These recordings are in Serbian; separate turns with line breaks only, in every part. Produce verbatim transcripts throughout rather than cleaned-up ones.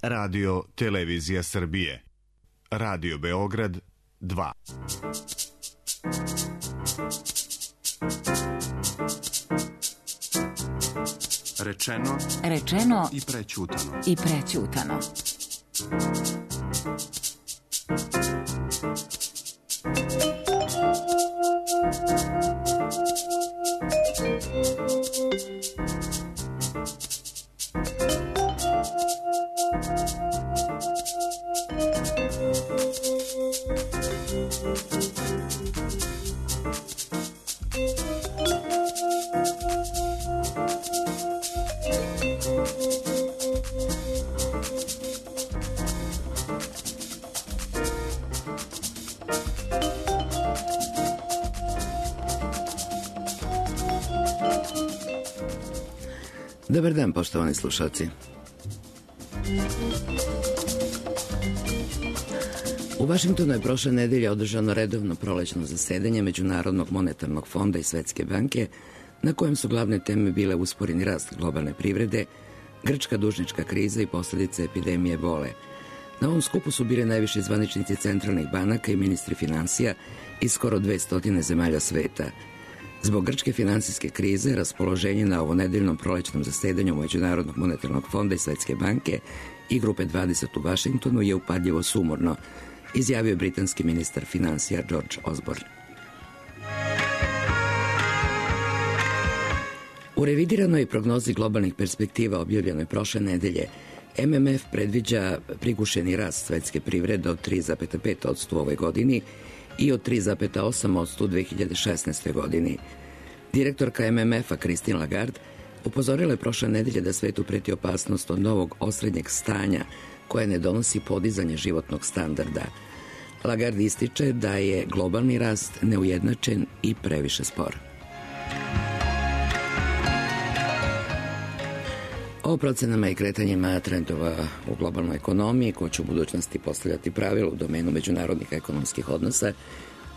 Radio Televizija Srbije. Radio Beograd dva.
Rečeno,
rečeno
i prećutano.
I prećutano.
Dobar dan, poštovani slušalci. U Vašingtonu je prošle nedelje održano redovno prolećno zasedanje Međunarodnog monetarnog fonda i Svetske banke, na kojem su glavne teme bile usporeni rast globalne privrede, grčka dužnička kriza i posljedice epidemije ebole. Na ovom skupu su bili najviši zvaničnici centralnih banaka i ministri finansija iz skoro dvesta zemalja sveta. Zbog grčke finansijske krize, raspoloženje na ovonedeljnom prolećnom zasedanju Međunarodnog monetarnog fonda i Svetske banke i grupe dvadeset u Vašingtonu je upadljivo sumorno, izjavio je britanski ministar finansija George Osborne. U revidiranoj prognozi globalnih perspektiva objavljenoj prošle nedelje, M M F predviđa prigušeni rast svetske privrede od tri zarez pet posto u ovoj godini i od tri zarez osam posto u dve hiljade šesnaestoj. godini. Direktorka M M F-a Christine Lagarde upozorila je prošle nedelje da svetu preti opasnost od novog osrednjeg stanja koje ne donosi podizanje životnog standarda. Lagarde ističe da je globalni rast neujednačen i previše spor. O procenama i kretanjima trendova u globalnoj ekonomiji, ko će u budućnosti postavljati pravila u domenu međunarodnih ekonomskih odnosa,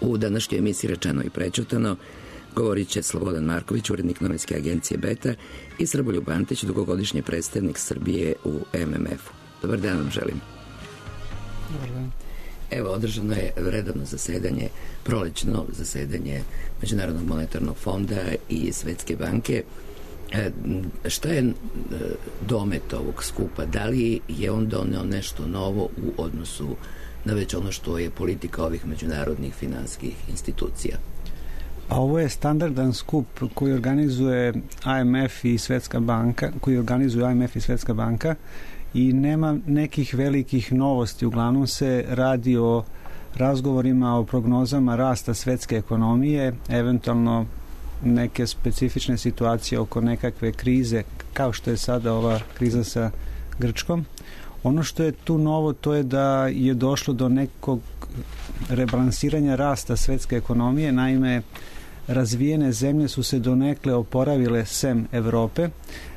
u današnjoj emisiji Rečeno i prećutano govorit će Slobodan Marković, urednik novinske agencije Beta, i Srboljub Antić, dugogodišnji predstavnik Srbije u M M F-u. Dobar dan vam želim.
Dobar dan.
Evo, održano je redovno zasedanje, prolećno zasedanje Međunarodnog monetarnog fonda i Svetske banke. E, šta je domet ovog skupa? Da li je on doneo nešto novo u odnosu na već ono što je politika ovih međunarodnih finansijskih institucija?
A ovo je standardan skup koji organizuje I M F i Svetska banka, koji organizuje I M F i Svetska banka i nema nekih velikih novosti. Uglavnom se radi o razgovorima o prognozama rasta svetske ekonomije, eventualno neke specifične situacije oko nekakve krize, kao što je sada ova kriza sa Grčkom. Ono što je tu novo, to je da je došlo do nekog rebalansiranja rasta svetske ekonomije. Naime, razvijene zemlje su se donekle oporavile sem Evrope,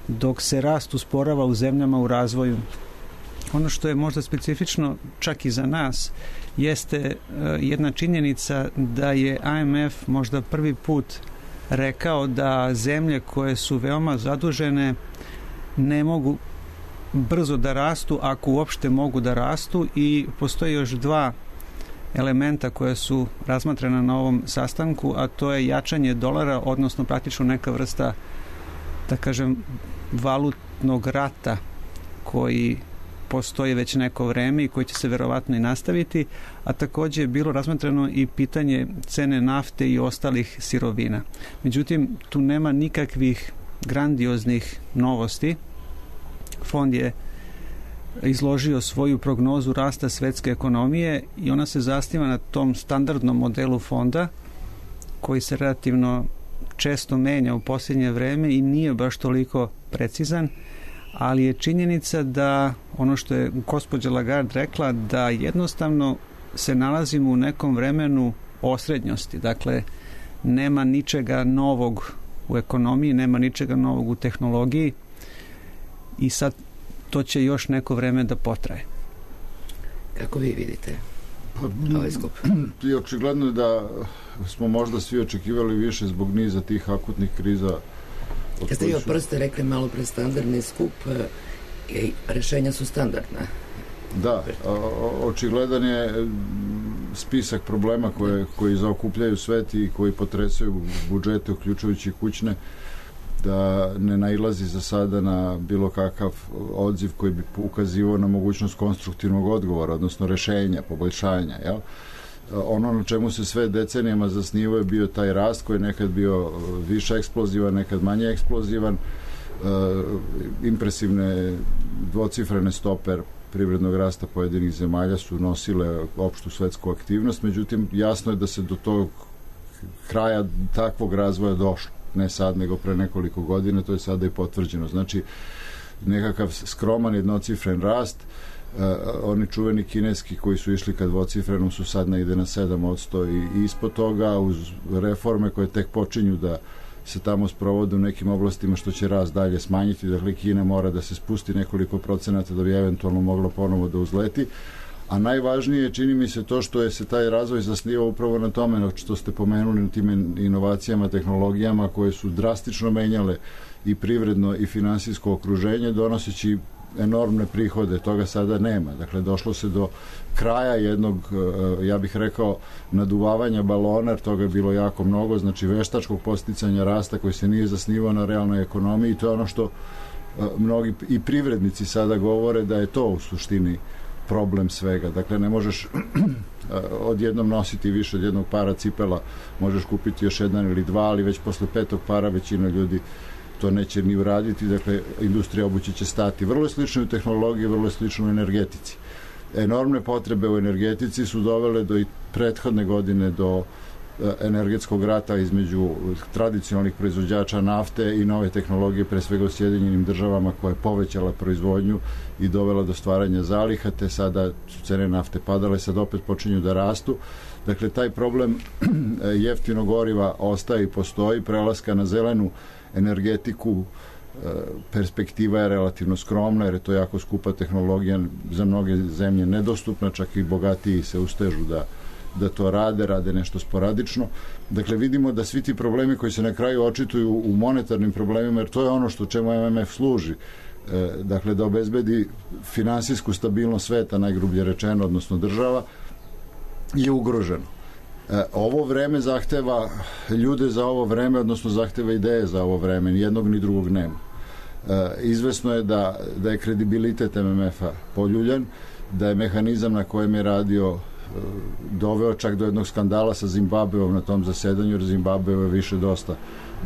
dok se rast usporava u zemljama u razvoju. Ono što je možda specifično čak i za nas jeste jedna činjenica da je I M F možda prvi put rekao da zemlje koje su veoma zadužene ne mogu brzo da rastu, ako uopšte mogu da rastu, i postoje još dva elementa koje su razmatrana na ovom sastanku, a to je jačanje dolara, odnosno praktično neka vrsta, da kažem, valutnog rata koji postoji već neko vreme i koji će se verovatno i nastaviti, a također je bilo razmatrano i pitanje cene nafte i ostalih sirovina. Međutim, tu nema nikakvih grandioznih novosti. Fond je izložio svoju prognozu rasta svetske ekonomije i ona se zasniva na tom standardnom modelu fonda koji se relativno često menja u posljednje vreme i nije baš toliko precizan, ali je činjenica da ono što je gospođa Lagarde rekla, da jednostavno se nalazimo u nekom vremenu osrednjosti. Dakle, nema ničega novog u ekonomiji, nema ničega novog u tehnologiji i sad to će još neko vreme da potraje.
Kako vi vidite ovaj skup?
I očigledno je da smo možda svi očekivali više zbog niza tih akutnih kriza.
Kad ste vi od prste rekli malo pre standardni skup, I rešenja su standardna.
Da, očigledan je spisak problema koje, koji zaokupljaju svet i koji potresaju budžete, uključujući kućne, da ne nailazi za sada na bilo kakav odziv koji bi ukazivao na mogućnost konstruktivnog odgovora, odnosno rešenja, poboljšanja. Jel? Ono na čemu se sve decenijama zasnivao je bio taj rast koji je nekad bio više eksplozivan, nekad manje eksplozivan, impresivne dvocifrene stope privrednog rasta pojedinih zemalja su nosile opštu svetsku aktivnost, međutim jasno je da se do tog kraja takvog razvoja došlo, ne sad nego pre nekoliko godina, to je sada i potvrđeno. Znači nekakav skroman jednocifren rast, uh, oni čuveni kineski koji su išli ka dvocifrenom su sad negde na sedam posto i, i ispod toga, uz reforme koje tek počinju da se tamo sprovode u nekim oblastima što će rast dalje smanjiti, dakle Kina mora da se spusti nekoliko procenata da bi eventualno mogla ponovo da uzleti, a najvažnije je, čini mi se, to što je se taj razvoj zasnivao upravo na tome što ste pomenuli, na tim inovacijama, tehnologijama koje su drastično menjale i privredno i finansijsko okruženje, donoseći enormne prihode. Toga sada nema. Dakle, došlo se do kraja jednog, ja bih rekao, naduvavanja balona, jer toga je bilo jako mnogo, znači veštačkog posticanja rasta koji se nije zasnivao na realnoj ekonomiji, i to je ono što mnogi i privrednici sada govore da je to u suštini problem svega. Dakle, ne možeš odjednom nositi više od jednog para cipela, možeš kupiti još jedan ili dva, ali već posle petog para većina ljudi to neće ni uraditi, dakle, industrija obuće će stati. Vrlo je slično u tehnologiji, vrlo je slično u energetici. Enormne potrebe u energetici su dovele do i prethodne godine do energetskog rata između tradicionalnih proizvođača nafte i nove tehnologije, pre svega u Sjedinjenim državama, koja je povećala proizvodnju i dovela do stvaranja zaliha, te sada su cene nafte padale, sad opet počinju da rastu. Dakle, taj problem jeftinog goriva ostaje i postoji, prelaska na zelenu energetiku, perspektiva je relativno skromna, jer je to jako skupa tehnologija, za mnoge zemlje nedostupna, čak i bogatiji se ustežu da da to rade, rade nešto sporadično. Dakle, vidimo da svi ti problemi koji se na kraju očituju u monetarnim problemima, jer to je ono što čemu M M F služi, e, dakle, da obezbedi finansijsku stabilnost sveta, najgrublje rečeno, odnosno država, je ugroženo. E, ovo vreme zahteva ljude za ovo vreme, odnosno zahteva ideje za ovo vreme, ni jednog ni drugog nema. E, izvesno je da, da je kredibilitet M M F-a poljuljan, da je mehanizam na kojem je radio doveo čak do jednog skandala sa Zimbabveom na tom zasedanju, jer Zimbabveo je više dosta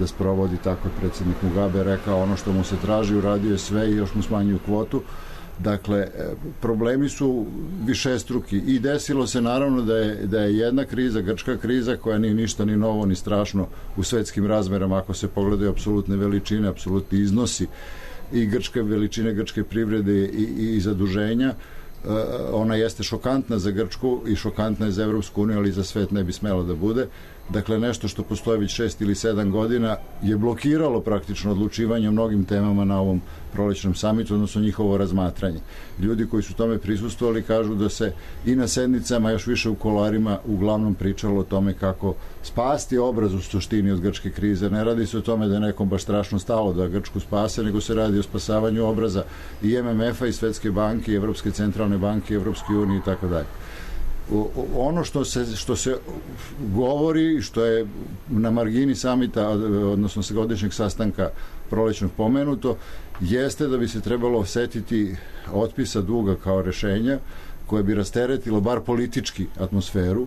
da sprovodi, tako je predsjednik Mugabe rekao, ono što mu se traži, uradio je sve i još mu smanjuju kvotu. Dakle, problemi su višestruki i desilo se naravno da je, da je jedna kriza, grčka kriza, koja nije ništa ni novo ni strašno u svetskim razmerama, ako se pogledaju apsolutne veličine, apsolutni iznosi i grčke veličine, grčke privrede i, i zaduženja. Ona jeste šokantna za Grčku i šokantna je za Evropsku uniju, ali za svet ne bi smela da bude. Dakle, nešto što postoje već šest ili sedam godina je blokiralo praktično odlučivanje o mnogim temama na ovom prolećnom samitu, odnosno njihovo razmatranje. Ljudi koji su tome prisustvovali kažu da se i na sednicama, još više u kuloarima, uglavnom pričalo o tome kako spasti obraz u suštini od grčke krize. Ne radi se o tome da je nekom baš strašno stalo da Grčku spase, nego se radi o spasavanju obraza i M M F-a i Svetske banke, i Evropske centralne banke, i Evropske unije i tako dalje. Ono što se, što se govori, što je na margini samita, odnosno godišnjeg sastanka prolećnog pomenuto, jeste da bi se trebalo osetiti otpisa duga kao rešenja koje bi rasteretilo bar politički atmosferu.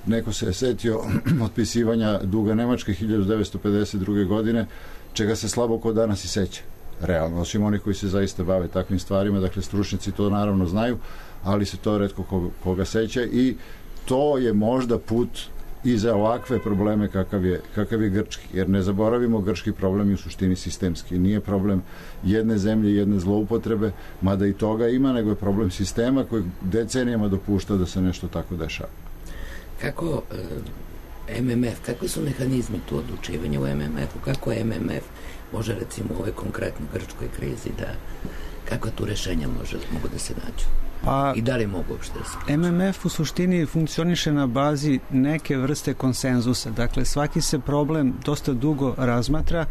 Neko se je setio otpisivanja duga Nemačke hiljadu devetsto pedeset druge. godine, čega se slabo ko danas i seća. Realno, osim oni koji se zaista bave takvim stvarima, dakle stručnici to naravno znaju, ali se to retko koga, koga seća, i to je možda put i za ovakve probleme kakav je, kakav je grčki, jer ne zaboravimo, grčki problem je u suštini sistemski, nije problem jedne zemlje, jedne zloupotrebe, mada i toga ima, nego je problem sistema koji decenijama dopušta da se nešto tako dešava.
Kako e, M M F, kakvi su mehanizmi tu odlučivanja u M M F-u, kako M M F može recimo u ovoj konkretnoj grčkoj krizi da Kako tu rešenja može, mogu da se nađu?
Pa,
i da li mogu uopšte da se nađu?
M M F u suštini funkcioniše na bazi neke vrste konsenzusa. Dakle, svaki se problem dosta dugo razmatra,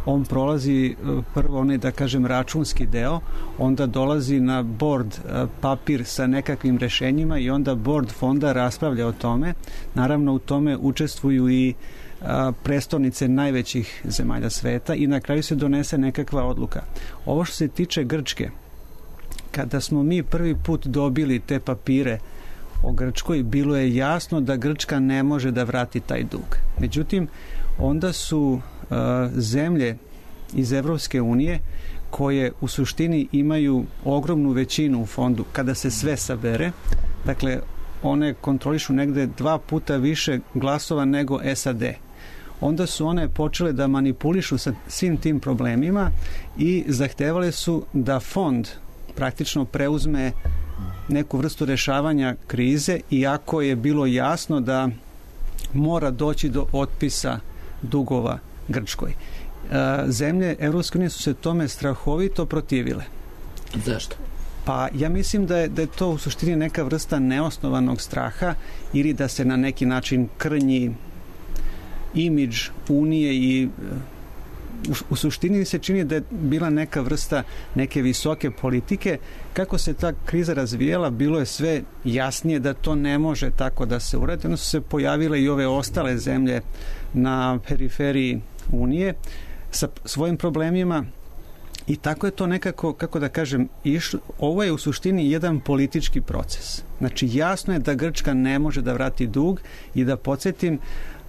on prolazi prvo onaj, da kažem, računski deo, onda dolazi na board papir sa nekakvim rešenjima i onda board fonda raspravlja o tome. Naravno, u tome učestvuju i a, prestolnice najvećih zemalja sveta i na kraju se donese nekakva odluka. Ovo što se tiče Grčke, kada smo mi prvi put dobili te papire o Grčkoj, bilo je jasno da Grčka ne može da vrati taj dug. Međutim, onda su uh, zemlje iz Evropske unije koje u suštini imaju ogromnu većinu u fondu kada se sve sabere, dakle one kontrolišu negde dva puta više glasova nego S A D. Onda su one počele da manipulišu sa svim tim problemima i zahtevale su da fond praktično preuzme neku vrstu rešavanja krize, iako je bilo jasno da mora doći do otpisa dugova Grčkoj. Zemlje Evropske unije su se tome strahovito protivile.
Zašto?
Pa ja mislim da je, da je to u suštini neka vrsta neosnovanog straha ili da se na neki način krnji imidž Unije i u, u suštini se čini da je bila neka vrsta neke visoke politike. Kako se ta kriza razvijela, bilo je sve jasnije da to ne može tako da se uradi. Onda su se pojavile i ove ostale zemlje na periferiji Unije sa svojim problemima i tako je to nekako, kako da kažem, išlo. Ovo je u suštini jedan politički proces. Znači jasno je da Grčka ne može da vrati dug i da podsjetim,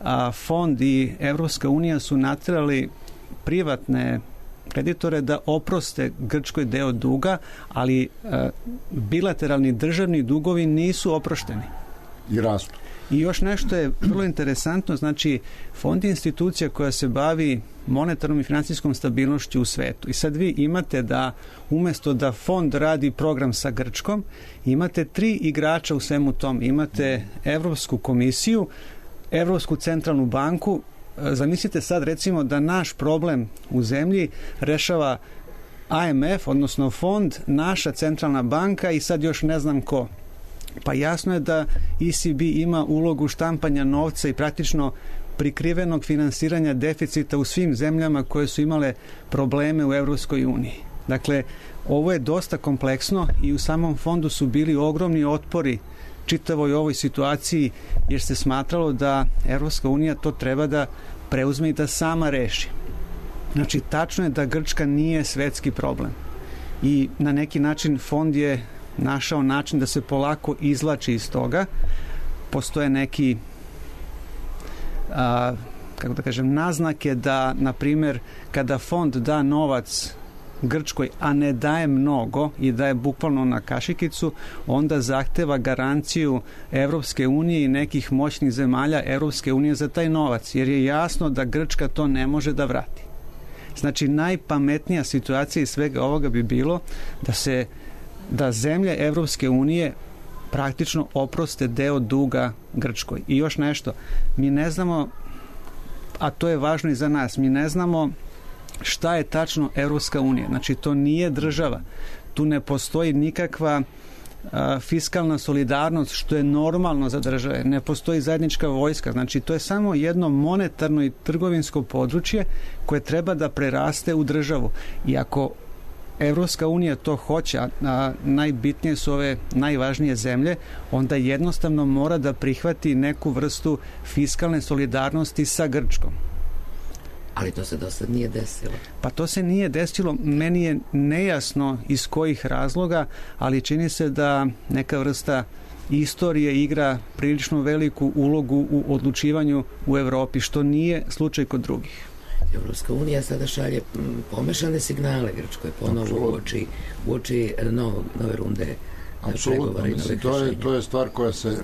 a fond i Evropska unija su naterali privatne kreditore da oproste Grčkoj deo duga, ali a, bilateralni državni dugovi nisu oprošteni.
I rastu.
I još nešto je vrlo interesantno, znači fond je institucija koja se bavi monetarnom i finansijskom stabilnošću u svetu. I sad vi imate da umjesto da fond radi program sa Grčkom, imate tri igrača u svemu tom. Imate Evropsku komisiju, Evropsku centralnu banku. Zamislite sad recimo da naš problem u zemlji rešava I M F, odnosno fond, naša centralna banka i sad još ne znam ko. Pa jasno je da E C B ima ulogu štampanja novca i praktično prikrivenog finansiranja deficita u svim zemljama koje su imale probleme u Evropskoj uniji. Dakle, ovo je dosta kompleksno i u samom fondu su bili ogromni otpori čitavoj ovoj situaciji, jer se smatralo da Evropska unija to treba da preuzme i da sama reši. Znači, tačno je da Grčka nije svetski problem. I na neki način fond je našao način da se polako izvlači iz toga. Postoje neki a, kako da kažem, naznake da, na primjer, kada fond da novac Grčkoj, a ne daje mnogo i daje bukvalno na kašikicu, onda zahteva garanciju Evropske unije i nekih moćnih zemalja Evropske unije za taj novac, jer je jasno da Grčka to ne može da vrati. Znači, najpametnija situacija iz svega ovoga bi bilo da se da zemlje Evropske unije praktično oproste deo duga Grčkoj. I još nešto, mi ne znamo, a to je važno i za nas, mi ne znamo šta je tačno Evropska unija. Znači, to nije država. Tu ne postoji nikakva a, fiskalna solidarnost, što je normalno za države. Ne postoji zajednička vojska. Znači, to je samo jedno monetarno i trgovinsko područje koje treba da preraste u državu. I ako Evropska unija to hoće, a najbitnije su ove najvažnije zemlje, onda jednostavno mora da prihvati neku vrstu fiskalne solidarnosti sa Grčkom.
Ali to se do sad nije desilo.
Pa to se nije desilo. Meni je nejasno iz kojih razloga, ali čini se da neka vrsta istorije igra prilično veliku ulogu u odlučivanju u Evropi, što nije slučaj kod drugih.
Evropska unija sada šalje pomešane signale Grčkoj ponovo uoči, uoči novog, nove runde pregovora i novih
to je, to je stvar koja se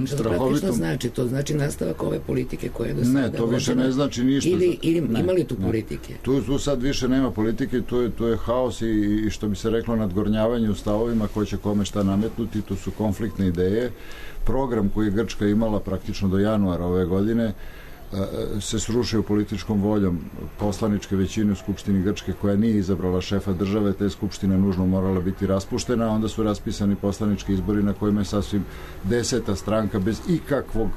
strahovito...
Što znači? To znači nastavak ove politike koje je do sada...
Ne, to više ne znači ništa.
Ili, ili ima li tu politike?
Tu, tu sad više nema politike, tu je, tu je haos i, i što bi se reklo nadgornjavanje u stavovima ko će kome šta nametnuti, tu su konfliktne ideje. Program koji je Grčka imala praktično do januara ove godine se srušio političkom voljom poslaničke većine u Skupštini Grčke, koja nije izabrala šefa države, te je Skupština nužno morala biti raspuštena, a onda su raspisani poslanički izbori na kojima je sasvim deseta stranka bez ikakvog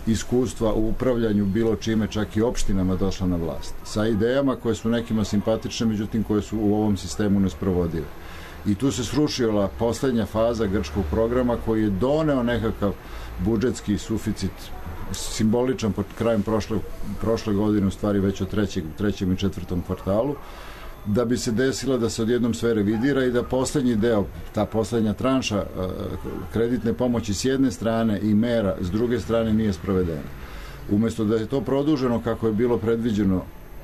iskustva u upravljanju bilo čime, čak i opštinama, došla na vlast. Sa idejama koje su nekima simpatične, međutim koje su u ovom sistemu nesprovodive. I tu se srušila poslednja faza grčkog programa koji je doneo nekakav budžetski suficit simboličan pod krajem prošle, prošle godine, u stvari već od trećeg, trećem i četvrtom kvartalu, da bi se desilo da se odjednom sve revidira i da poslednji deo, ta poslednja tranša kreditne pomoći s jedne strane i mera s druge strane nije sprovedena. Umesto da je to produženo kako je bilo predviđeno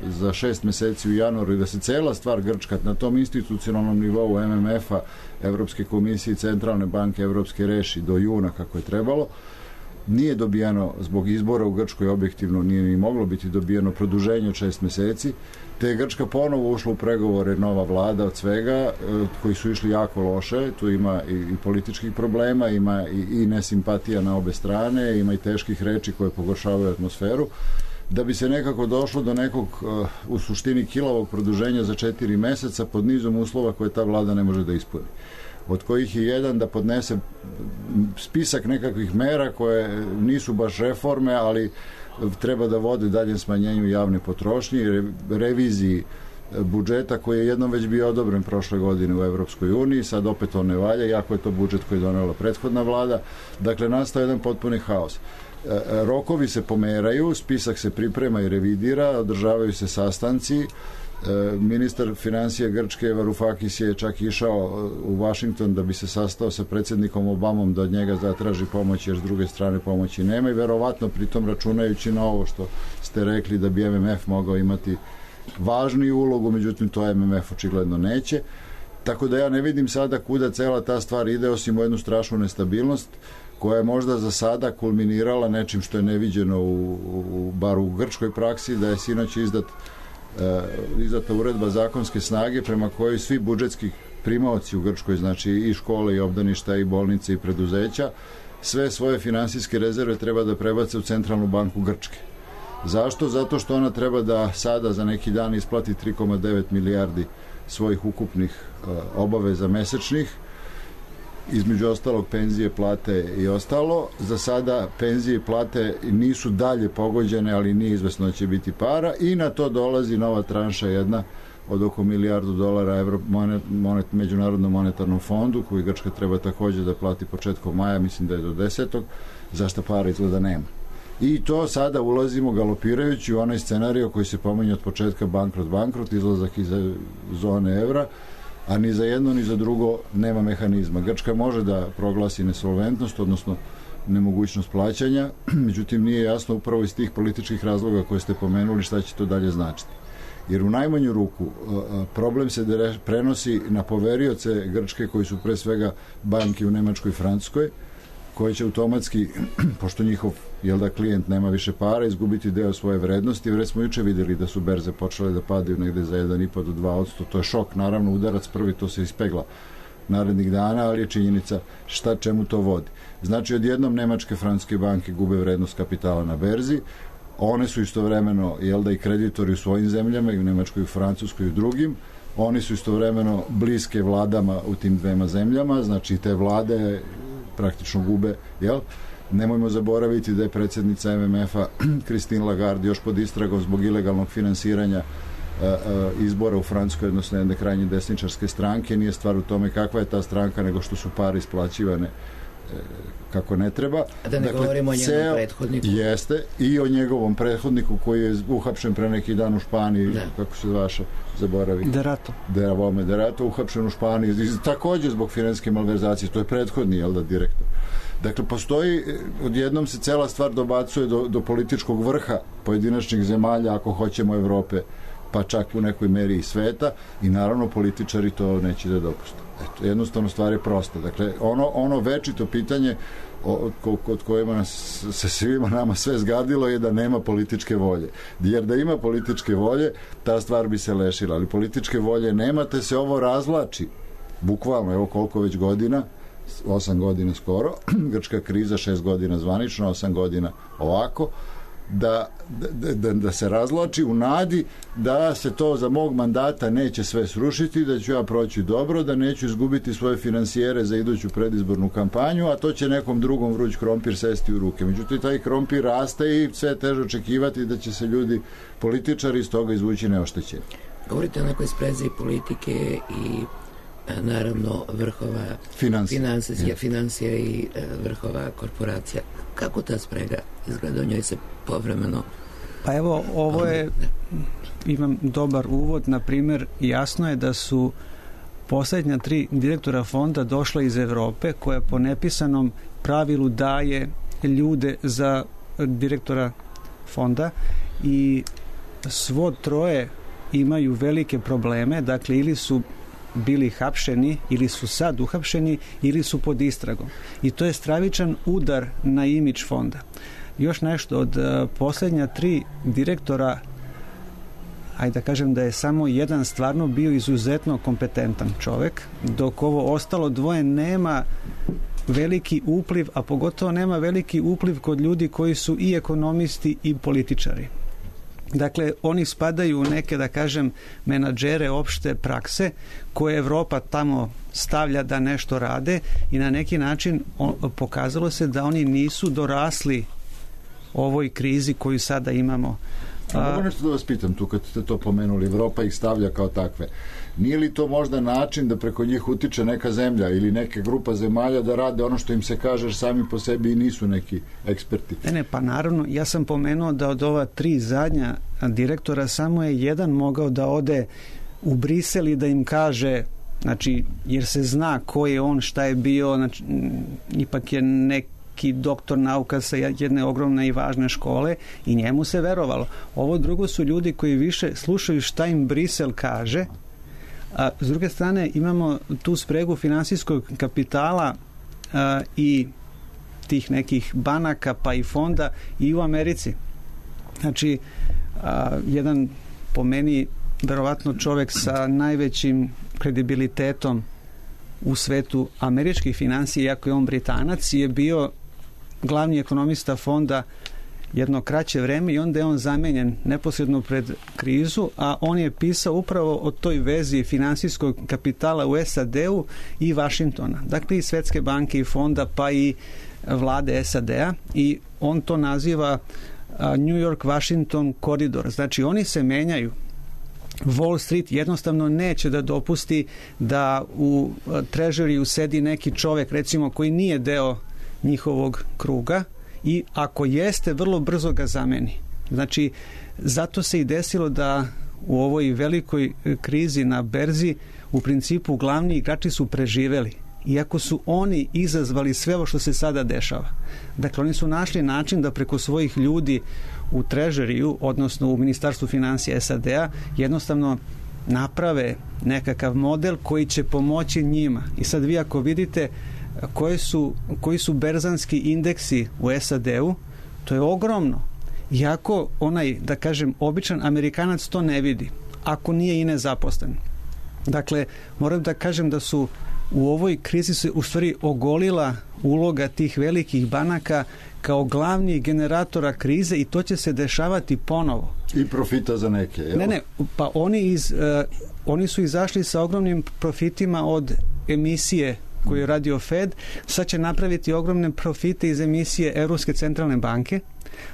za šest meseci u januaru i da se cela stvar Grčka na tom institucionalnom nivou M M F-a, Evropske komisije i Centralne banke Evropske reši do juna kako je trebalo, nije dobijeno zbog izbora u Grčkoj, objektivno nije ni moglo biti dobijeno produženje od šest meseci, te je Grčka ponovo ušla u pregovore, nova vlada od svega, koji su išli jako loše, tu ima i, i političkih problema, ima i, i nesimpatija na obe strane, ima i teških reči koje pogoršavaju atmosferu, da bi se nekako došlo do nekog u suštini kilavog produženja za četiri meseca pod nizom uslova koje ta vlada ne može da ispuni, od kojih je jedan da podnese spisak nekakvih mera koje nisu baš reforme, ali treba da vode daljem smanjenju javne potrošnje i reviziji budžeta koji je jednom već bio odobren prošle godine u Evropskoj uniji, sad opet on ne valja, iako je to budžet koji je donela prethodna vlada. Dakle, nastao jedan potpuni haos. Rokovi se pomeraju, spisak se priprema i revidira, održavaju se sastanci. Ministar financija Grčke Varoufakis je čak išao u Vašington da bi se sastao sa predsjednikom Obamom da od njega zatraži pomoć, jer s druge strane pomoći nema, i verovatno pritom računajući na ovo što ste rekli da bi M M F mogao imati važniju ulogu, međutim to M M F očigledno neće. Tako da ja ne vidim sada kuda cela ta stvar ide, osim u jednu strašnu nestabilnost koja je možda za sada kulminirala nečim što je neviđeno u, u, bar u grčkoj praksi, da je sinoć izdat izdata uredba zakonske snage prema kojoj svi budžetski primaoci u Grčkoj, znači i škole i obdaništa i bolnice i preduzeća, sve svoje finansijske rezerve treba da prebace u Centralnu banku Grčke. Zašto? Zato što ona treba da sada za neki dan isplati tri zarez devet milijardi svojih ukupnih obaveza mesečnih, između ostalog penzije, plate i ostalo. Za sada penzije i plate nisu dalje pogođene, ali nije izvesno da će biti para, i na to dolazi nova tranša jedna od oko milijardu dolara Evro, monet, monet, Međunarodnom monetarnom fondu, koji Grčka treba takođe da plati početkom maja, mislim da je do desetog, zašto para izgleda nema. I to sada ulazimo galopirajući u onaj scenarij koji se pominje od početka, bankrot, bankrot, izlazak iz zone evra, a ni za jedno ni za drugo nema mehanizma. Grčka može da proglasi nesolventnost, odnosno nemogućnost plaćanja, međutim nije jasno upravo iz tih političkih razloga koje ste pomenuli šta će to dalje značiti. Jer u najmanju ruku problem se prenosi na poverioce Grčke, koji su pre svega banke u Nemačkoj i Francuskoj, koje će automatski, pošto njihov jel da klijent nema više para, izgubiti deo svoje vrednosti. Već smo juče vidjeli da su berze počele da padaju negde za jedan i po do dva posto. To je šok, naravno udarac prvi, to se ispegla narednih dana, ali je činjenica šta čemu to vodi. Znači, odjednom nemačke, francuske banke gube vrednost kapitala na berzi, one su istovremeno jel da i kreditori u svojim zemljama, i u Nemačkoj, i u Francuskoj, i u drugim, oni su istovremeno bliske vladama u tim dvema zemljama, znači te vlade praktično gube, jel? Nemojmo zaboraviti da je predsjednica M M F-a Christine Lagarde još pod istragom zbog ilegalnog finansiranja a, a, izbora u Francuskoj, odnosno jedne krajnje desničarske stranke. Nije stvar u tome kakva je ta stranka, nego što su pare isplaćivane e, kako ne treba.
A da ne dakle, govorimo o njegovom ceo, prethodniku.
Jeste, i o njegovom prethodniku koji je uhapšen pre neki dan u Španiji, da. Kako se vaša zaboravi?
Derato.
Deravome Derato, uhapšen u Španiji, takođe zbog finansijske malverzacije, to je prethodni, jel da, direktor. Dakle, postoji, odjednom se cela stvar dobacuje do, do političkog vrha pojedinačnih zemalja, ako hoćemo Evrope, pa čak u nekoj meri i sveta, i naravno političari to neće da dopuste. Eto, jednostavno stvar je prosta. Dakle, ono, ono večito pitanje od kojima nas, se svima nama sve zgadilo je da nema političke volje. Jer da ima političke volje, ta stvar bi se lešila. Ali političke volje nema, te se ovo razvlači. Bukvalno, evo koliko već godina, osam godina skoro, grčka kriza, šest godina zvanično, osam godina ovako, da, da, da, da se razvlači u nadi da se to za mog mandata neće sve srušiti, da ću ja proći dobro, da neću izgubiti svoje finansijere za iduću predizbornu kampanju, a to će nekom drugom vruć krompir sesti u ruke. Međutim, taj krompir raste i sve je teže očekivati da će se ljudi, političari, iz toga izvući neoštećeni.
Govorite o nekoj sprezi politike i naravno vrhova
financija,
financija, financija i vrhova korporacija. Kako ta sprega izgleda? O njoj se povremeno...
Pa evo, ovo je, imam dobar uvod, na primjer, jasno je da su posljednja tri direktora fonda došla iz Europe, koja po nepisanom pravilu daje ljude za direktora fonda, i svo troje imaju velike probleme, dakle ili su bili hapšeni, ili su sad uhapšeni, ili su pod istragom. I to je stravičan udar na imidž fonda. Još nešto, od uh, posljednja tri direktora, ajde da kažem da je samo jedan stvarno bio izuzetno kompetentan čovjek, dok ovo ostalo dvoje nema veliki upliv, a pogotovo nema veliki upliv kod ljudi koji su i ekonomisti i političari. Dakle, oni spadaju u neke, da kažem, menadžere opšte prakse koje Evropa tamo stavlja da nešto rade, i na neki način on, pokazalo se da oni nisu dorasli ovoj krizi koju sada imamo.
A, mogu nešto da vas pitam tu kad ste to pomenuli, Evropa ih stavlja kao takve. Nije li to možda način da preko njih utiče neka zemlja ili neke grupa zemalja da rade ono što im se kaže, jer sami po sebi i nisu neki eksperti?
Ne, ne, pa naravno, ja sam pomenuo da od ova tri zadnja direktora samo je jedan mogao da ode u Brisel i da im kaže, znači, jer se zna ko je on, šta je bio, znači, ipak je neki doktor nauka sa jedne ogromne i važne škole, i njemu se verovalo. Ovo drugo su ljudi koji više slušaju šta im Brisel kaže, a s druge strane imamo tu spregu finansijskog kapitala a, i tih nekih banaka pa i fonda i u Americi. Znači, a, jedan po meni verovatno čovjek sa najvećim kredibilitetom u svetu američkih financija, iako je on Britanac, je bio glavni ekonomista fonda jedno kraće vreme, i onda je on zamenjen neposredno pred krizu, a on je pisao upravo o toj vezi finansijskog kapitala u S A D-u i Vašingtona. Dakle, i Svetske banke i fonda, pa i vlade S A D-a, i on to naziva New York-Washington koridor. Znači, oni se menjaju. Wall Street jednostavno neće da dopusti da u trežeriju sedi neki čovjek, recimo, koji nije deo njihovog kruga, i ako jeste, vrlo brzo ga zameni. Znači, zato se i desilo da u ovoj velikoj krizi na berzi u principu glavni igrači su preživeli, iako su oni izazvali sve ovo što se sada dešava. Dakle, oni su našli način da preko svojih ljudi u trežeriju, odnosno u Ministarstvu financija S A D-a, jednostavno naprave nekakav model koji će pomoći njima. I sad vi ako vidite Koje su, koji su berzanski indeksi u S A D-u, to je ogromno. Iako onaj, da kažem, običan Amerikanac to ne vidi, ako nije i nezaposlen. Dakle, moram da kažem da su u ovoj krizi se u stvari ogolila uloga tih velikih banaka kao glavni generatora krize, i to će se dešavati ponovo.
I profita za neke, jel?
Ne, ne, pa oni, iz, uh, oni su izašli sa ogromnim profitima od emisije koju je radio Fed, sad će napraviti ogromne profite iz emisije Evropske centralne banke,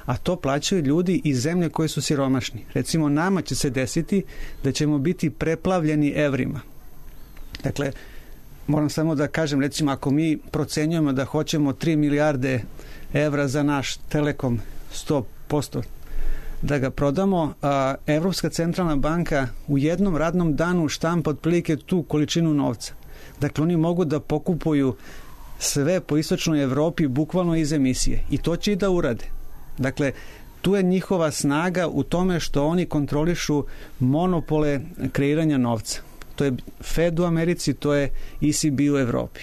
a to plaćaju ljudi iz zemlje koje su siromašni. Recimo, nama će se desiti da ćemo biti preplavljeni evrima. Dakle, moram samo da kažem, recimo, ako mi procenjujemo da hoćemo tri milijarde evra za naš Telekom sto posto da ga prodamo, a Evropska centralna banka u jednom radnom danu štampa otprilike tu količinu novca. Dakle, oni mogu da pokupuju sve po istočnoj Evropi bukvalno iz emisije, i to će i da urade. Dakle, tu je njihova snaga u tome što oni kontrolišu monopole kreiranja novca. To je Fed u Americi, to je E C B u Evropi.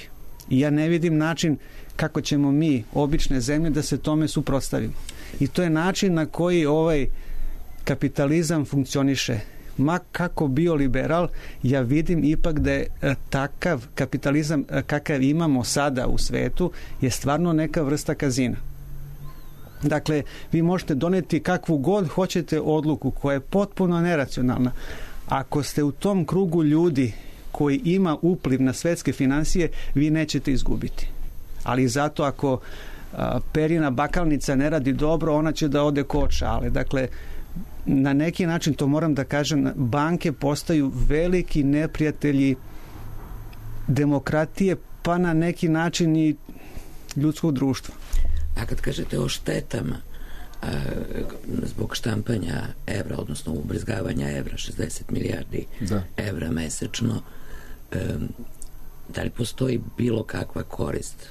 I ja ne vidim način kako ćemo mi, obične zemlje, da se tome suprotstavimo. I to je način na koji ovaj kapitalizam funkcioniše. Ma kako bio liberal, ja vidim ipak da je takav kapitalizam kakav imamo sada u svetu je stvarno neka vrsta kazina. Dakle, vi možete doneti kakvu god hoćete odluku koja je potpuno neracionalna. Ako ste u tom krugu ljudi koji ima upliv na svetske financije, vi nećete izgubiti. Ali zato ako a, perina bakalnica ne radi dobro, ona će da ode ko od šale. Dakle, na neki način, to moram da kažem, banke postaju veliki neprijatelji demokratije, pa na neki način i ljudskog društva.
A kad kažete o štetama a, zbog štampanja evra, odnosno ubrizgavanja evra, šezdeset milijardi da. evra mesečno, um, da li postoji bilo kakva korist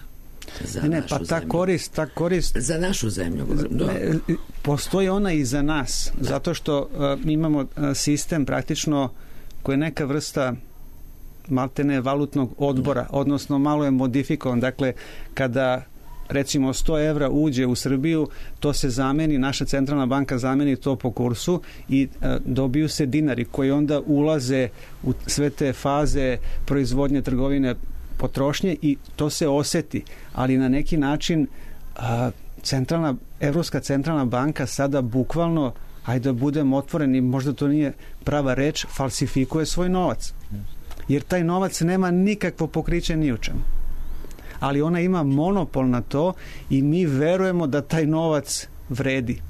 za
ne, ne,
našu
pa ta
zemlju?
Korist, ta korist...
Za našu zemlju.
Ne, postoji ona i za nas, da. zato što uh, imamo uh, sistem praktično koji je neka vrsta maltene valutnog odbora, da. odnosno malo je modifikovan. Dakle, kada recimo sto evra uđe u Srbiju, to se zameni, naša centralna banka zameni to po kursu i e, dobiju se dinari koji onda ulaze u sve te faze proizvodnje, trgovine, potrošnje i to se oseti. Ali na neki način a, centralna, Evropska centralna banka sada bukvalno, ajde da budem otvoreni, možda to nije prava reč, falsifikuje svoj novac. Jer taj novac nema nikakvo pokriće ni u čemu. Ali ona ima monopol na to i mi verujemo da taj novac vredi.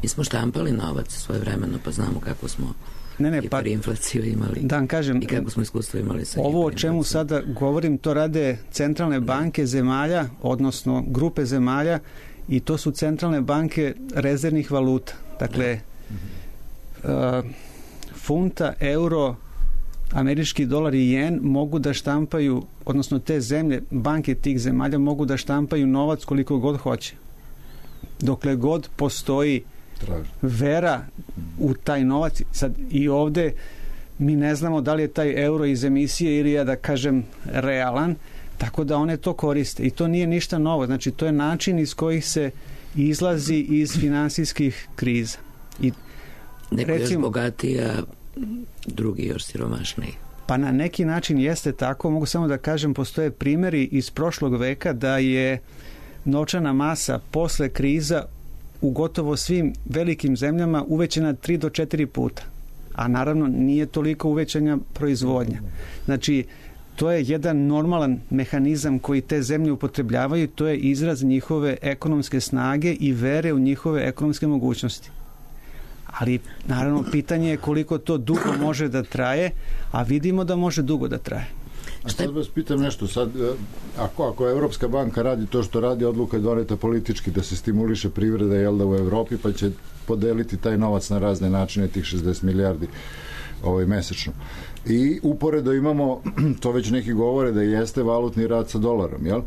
Mi smo štampali novac svoje vremeno, pa znamo kako smo ne, ne, hiperinflaciju imali
da kažem,
i kako smo iskustvo imali sa
ovo o čemu sada govorim, to rade centralne banke zemalja, odnosno grupe zemalja i to su centralne banke rezervnih valuta. Dakle, uh, funta, euro, američki dolar i jen mogu da štampaju, odnosno te zemlje, banke tih zemalja mogu da štampaju novac koliko god hoće. Dokle god postoji vera u taj novac. Sad i ovde mi ne znamo da li je taj euro iz emisije ili je, da kažem, realan, tako da one to koriste. I to nije ništa novo. Znači, to je način iz kojih se izlazi iz finansijskih kriza. I,
neko recimo, još bogatija, drugi još siromašniji.
Pa na neki način jeste tako. Mogu samo da kažem, postoje primjeri iz prošlog veka da je novčana masa posle kriza u gotovo svim velikim zemljama uvećana tri do četiri puta. A naravno nije toliko uvećanja proizvodnja. Znači, to je jedan normalan mehanizam koji te zemlje upotrebljavaju, to je izraz njihove ekonomske snage i vere u njihove ekonomske mogućnosti. Ali, naravno, pitanje je koliko to dugo može da traje, a vidimo da može dugo da traje.
A sad vas pitam nešto, sad, ako, ako Evropska banka radi to što radi, odluka je doneta politički da se stimuliše privreda jel da u Evropi, pa će podeliti taj novac na razne načine, tih šezdeset milijardi ovaj, mesečno. I uporedo imamo, to već neki govore da jeste valutni rat sa dolarom, jel?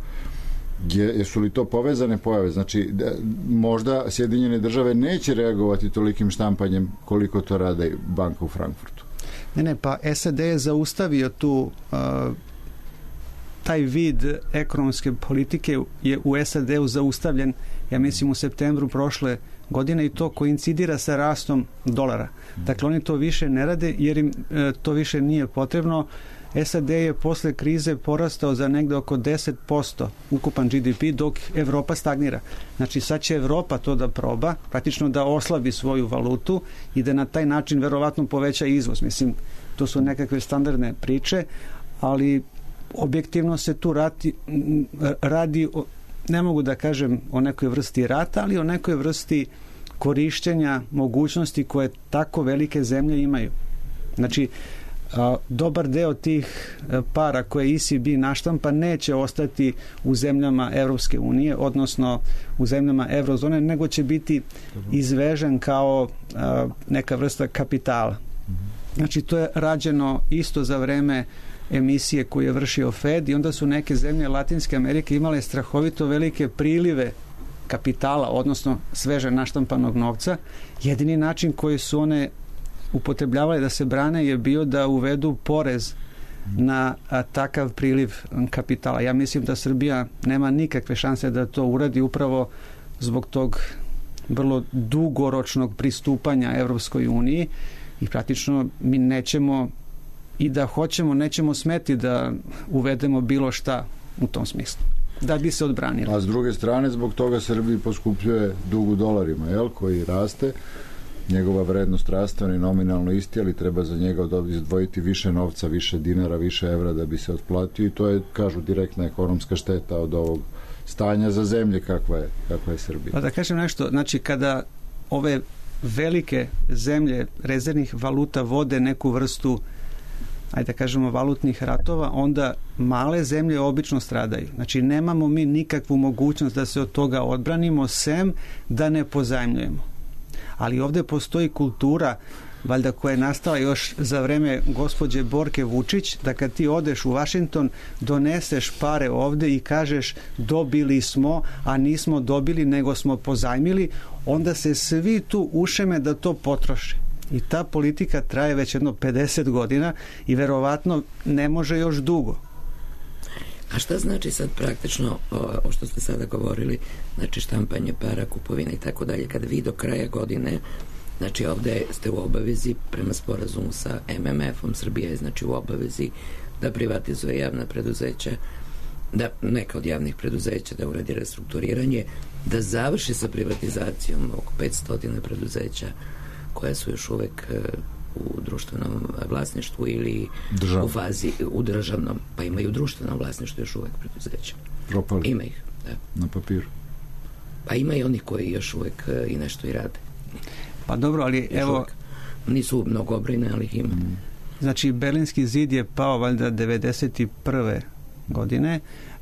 Je, jesu li to povezane pojave? Znači, da, možda Sjedinjene države neće reagovati tolikim štampanjem koliko to rade banka u Frankfurtu.
Ne, ne, pa S A D je zaustavio tu uh, taj vid ekonomske politike je u S A D-u zaustavljen, ja mislim u septembru prošle godine i to koincidira sa rastom dolara. Dakle, oni to više ne rade jer im e, to više nije potrebno. S A D je posle krize porastao za negde oko deset posto ukupan G D P, dok Evropa stagnira. Znači, sad će Evropa to da proba, praktično da oslabi svoju valutu i da na taj način verovatno poveća izvoz. Mislim, to su nekakve standardne priče, ali objektivno se tu radi, radi o, ne mogu da kažem o nekoj vrsti rata, ali o nekoj vrsti korišćenja mogućnosti koje tako velike zemlje imaju. Znači, a, dobar deo tih para koje E C B naštampa neće ostati u zemljama Evropske unije, odnosno u zemljama eurozone, nego će biti izvežen kao a, neka vrsta kapitala. Znači, to je rađeno isto za vreme emisije koju je vršio Fed i onda su neke zemlje Latinske Amerike imale strahovito velike prilive kapitala, odnosno sveže naštampanog novca. Jedini način koji su one upotrebljavale da se brane je bio da uvedu porez na a, takav priliv kapitala. Ja mislim da Srbija nema nikakve šanse da to uradi upravo zbog tog vrlo dugoročnog pristupanja Evropskoj uniji i praktično mi nećemo i da hoćemo, nećemo smeti da uvedemo bilo šta u tom smislu. da bi se odbranili.
A s druge strane, zbog toga Srbiji poskupljuje dug u dolarima, jel, koji raste, njegova vrednost raste, on je nominalno isti, ali treba za njega izdvojiti više novca, više dinara, više evra da bi se otplatio i to je, kažu, direktna ekonomska šteta od ovog stanja za zemlje kakva je, kakva je Srbija.
Pa da kažem nešto, znači kada ove velike zemlje rezervnih valuta vode neku vrstu, ajde da kažemo, valutnih ratova, onda male zemlje obično stradaju. Znači nemamo mi nikakvu mogućnost da se od toga odbranimo, sem da ne pozajmljujemo. Ali ovdje postoji kultura, valjda koja je nastala još za vreme gospođe Borke Vučić, da kad ti odeš u Washington, doneseš pare ovdje i kažeš dobili smo, a nismo dobili, nego smo pozajmili, onda se svi tu ušeme da to potroše. I ta politika traje već jedno pedeset godina i verovatno ne može još dugo.
A šta znači sad praktično o što ste sada govorili, znači štampanje para, kupovina i tako dalje, kada vi do kraja godine, znači ovdje ste u obavezi prema sporazumu sa em em efom, Srbija je znači u obavezi da privatizuje javna preduzeća, da neka od javnih preduzeća da uradi restrukturiranje, da završi sa privatizacijom oko petsto preduzeća koja su još uvek u društvenom vlasništvu ili
Državno.
u fazi u državnom, pa imaju u društvenom vlasništvu još uvek preduzeća.
Propali.
Ima ih, da.
Na papiru.
Pa ima i oni koji još uvek i nešto i rade.
Pa dobro, ali
još
evo...
Uvek. Nisu mnogobrojne, ali ih ima. Mm.
Znači, Berlinski zid je pao valjda devedeset prve godine,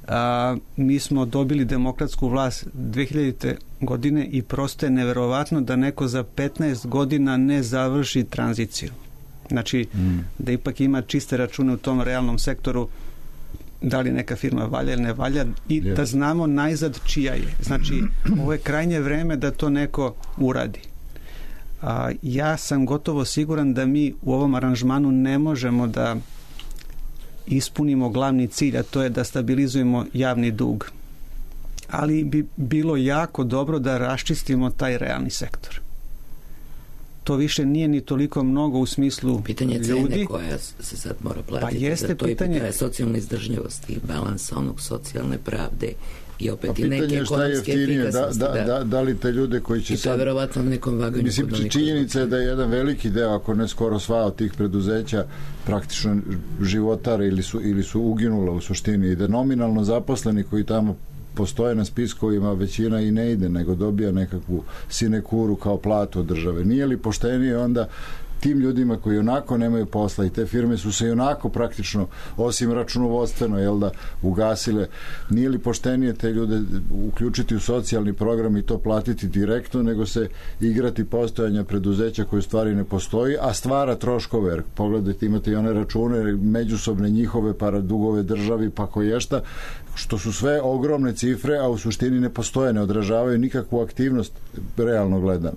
a mi smo dobili demokratsku vlast dve hiljadite godine i prosto je neverovatno da neko za petnaest godina ne završi tranziciju. Znači, mm. da ipak ima čiste račune u tom realnom sektoru, da li neka firma valja ili ne valja i yeah. da znamo najzad čija je. Znači, ovo je krajnje vreme da to neko uradi. A, ja sam gotovo siguran da mi u ovom aranžmanu ne možemo da ispunimo glavni cilj, a to je da stabilizujemo javni dug. Ali bi bilo jako dobro da raščistimo taj realni sektor. To više nije ni toliko mnogo u smislu
pitanje
ljudi.
Cene koja se sad mora platiti.
Pa jeste
to je
pitanje...
pitanje socijalne izdržljivosti i balansa onog socijalne pravde i opet
pa
i neke ekonomske efikasnosti.
Da, da, da, da li te ljude koji će
i to je verovatno na nekom vaganju.
Mislim, činjenica je da je jedan veliki deo, ako ne skoro sva od tih preduzeća praktično životare ili su, ili su uginula u suštini i da nominalno zaposleni koji tamo postoje na spiskovima, većina i ne ide, nego dobija nekakvu sinekuru kao platu od države. Nije li poštenije onda tim ljudima koji onako nemaju posla i te firme su se i onako praktično, osim računovodstveno, jel da, ugasile, nije li poštenije te ljude uključiti u socijalni program i to platiti direktno, nego se igrati postojanja preduzeća koje stvari ne postoji, a stvara troškove, jer pogledajte, imate i one račune međusobne njihove, para dugove državi, pa koješta, što su sve ogromne cifre, a u suštini ne postoje, ne odražavaju nikakvu aktivnost realno gledano.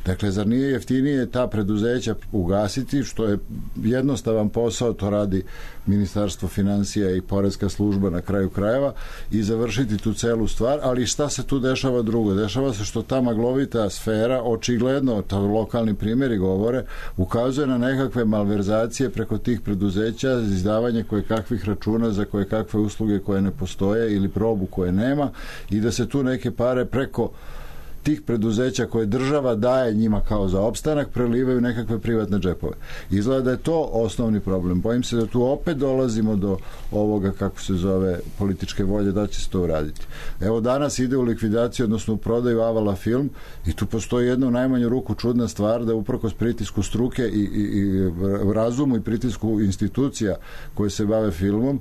Dakle, zar nije jeftinije ta preduzeća ugasiti, što je jednostavan posao, to radi Ministarstvo financija i poreska služba na kraju krajeva, i završiti tu celu stvar, ali šta se tu dešava drugo? Dešava se što ta maglovita sfera, očigledno, to lokalni primjeri govore, ukazuje na nekakve malverzacije preko tih preduzeća, izdavanje koje kakvih računa za koje kakve usluge koje ne postoje ili probu koje nema, i da se tu neke pare preko tih preduzeća koje država daje njima kao za opstanak prelivaju nekakve privatne džepove. Izgleda da je to osnovni problem. Bojim se da tu opet dolazimo do ovoga, kako se zove, političke volje da će se to uraditi. Evo, danas ide u likvidaciju, odnosno u prodaju Avala film, i tu postoji jedna u najmanju ruku čudna stvar, da uprkos pritisku struke i, i, i razumu i pritisku institucija koje se bave filmom,